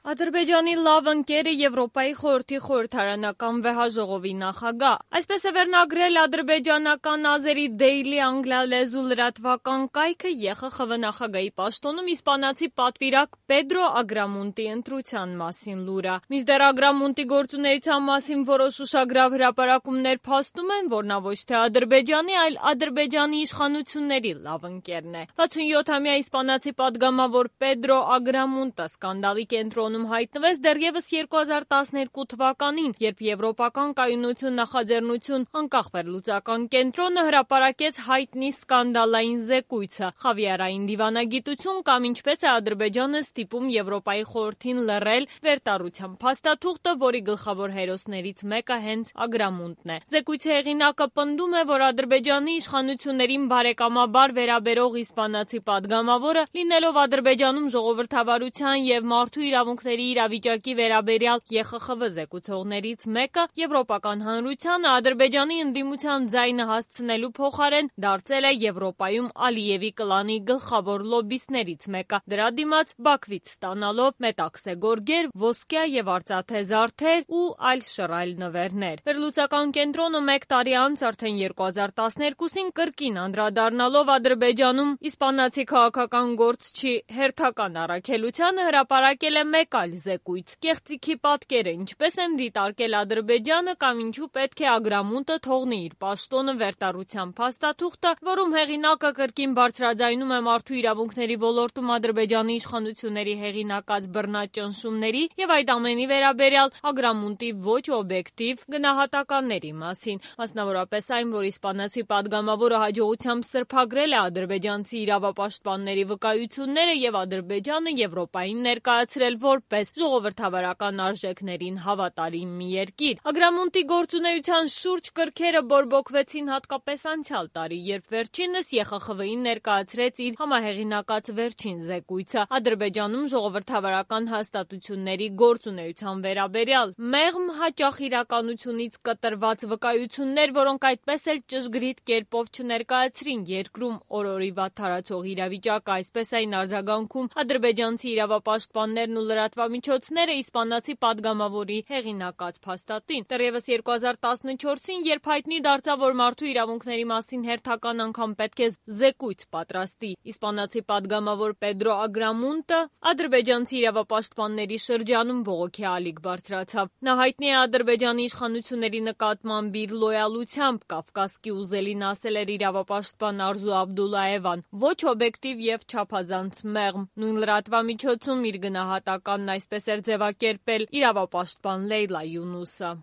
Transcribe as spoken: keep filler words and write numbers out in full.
Ադրբեջանի լավ ընկերը Եվրոպայի խորհրդի խորհրդարանական վեհաժողովի նախագահ։ Այսպես է վերնագրել ադրբեջանական ազերի Daily անգլիալեզու լրատվական կայքը Ե Խ Խ V նախագահի պաշտոնում իսպանացի պատվիրակ Պեդրո Ագրամունտի ընտրության մասին լուրը։ Մինչդեռ Ագրամունտի գործունեության մասին որոշ ուշագրավ հրապարակումներ փաստում են, որ նա ոչ թե Ադրբեջանի, այլ Ադրբեջանի իշխանությունների լավ ընկերն է։ վաթսունյոթամյա իսպանացի պատգամավոր Պեդրո Ագրամունտը սկանդալի կենտրոնում հայտնվեց դեռևս երկու հազար տասներկու թվականին, երբ Եվրոպական կայունություն նախաձեռնություն անկախ վերլուծական կենտրոնը հրապարակեց հայտնի սկանդալային զեկույցը «Խավիարային դիվանագիտություն» կամ ինչպես է Ադրբեջանը ստիպում Եվրոպայի խորհրդին լռել վերտառության փաստաթուղթը, որի գլխավոր հերոսներից մեկը հենց Ագրամունտն է։ Զեկույցի հեղինակը պնդում է, որ Ադրբեջանի իշխանություններին բարեկամաբար վերաբերող իսպանացի պատգամավորը, լինելով Ադրբեջանում ժողովրդավարության և մարդու իրավունքների իրավիճակի վերաբերյալ Ե Խ Խ V զեկուցողներից մեկը, Եվրոպական հանրությանը Ադրբեջանի ընդդիմության ձայնը հասցնելու փոխարեն դարձել է Եվրոպայում Ալիևի կլանի գլխավոր լոբբիստներից մեկը, դրա դիմաց Բաքվից ստանալով մետաքսե գորգեր, ոսկյա և արծաթե զարդեր ու այլ շռայլ նվերներ։ Վերլուծական կենտրոնը մեկ տարի անց արդեն երկու հազար տասներկուսին կրկին անդրադառնալով Ադրբեջանում իսպանացի քաղաքական գործչի հերթական առաքելությանը հրապարակել է մեկ այլ զեկույց՝ կեղծիքի պատկերը, ինչպես են դիտարկել Ադրբեջանը կամ ինչու պետք է Ագրամունտը թողնի իր պաշտոնը վերտառության փաստաթուղթը, որում հեղինակը կրկին բարձրաձայնում է մարդու իրավունքների ոլորտում Ադրբեջանի իշխանությունների հեղինակած բռնաճնշումների և այդ ամենի վերաբերյալ Ագրամունտի ոչ օբյեկտիվ գնահատականների մասին, մասնավորապես այն, որ իսպանացի պատգամավորը հաջողությամբ սրբագրել է ադրբեջանցի իրավապաշտպանների վկայությունները և Ադրբեջանը Եվրոպային ներկայացրել որպես ժողովրդավարական արժեքներին հավատարիմ մի երկիր։ Ագրամունտի գործունեության շուրջ կրքերը բորբոքվեցին հատկապես անցյալ տարի, երբ վերջինս Ե Խ Խ V-ին ներկայացրեց իր համահեղինակած վերջին զեկույցը Ադրբեջանում ժողովրդավարական հաստատությունների գործունեության վերաբերյալ։ Մեղմ, հաճախ իրականությունից կտրված վկայություններ, որոնք այդպես էլ ճշգրիտ կերպով չներկայացրին երկրում օր-օրի վատթարացող իրավիճակը, այսպես էին արձագանքում ադրբեջանցի իրավապաշտպաններն ու լրատվամիջոցները իսպանացի պատգամավորի հեղինակած փաստաթին։ Դեռևս երկու հազար տասնչորսին, երբ հայտնի դարձավ, որ մարդու իրավունքների մասին հերթական անգամ պետք է զեկույց պատրաստի իսպանացի պատգամավոր Պեդրո Ագրամունտը, ադրբեջանցի իրավապաշտպանների շրջանում բողոքի ալիք բարձրացավ։ Նա հայտնի է Ադրբեջանի իշխանությունների նկատմամբ իր լոյալությամբ, Կավկասկի ուզելին ասել էր իրավապաշտպան Արզու Աբդուլլաևան, ոչ օբյեկտիվ և չափազանց մեղմ։ Նույն լրատվամիջոցում իր գնահատականն այսպես էր ձևակերպել իրավապաշտպան Լեյլա Յունուսը։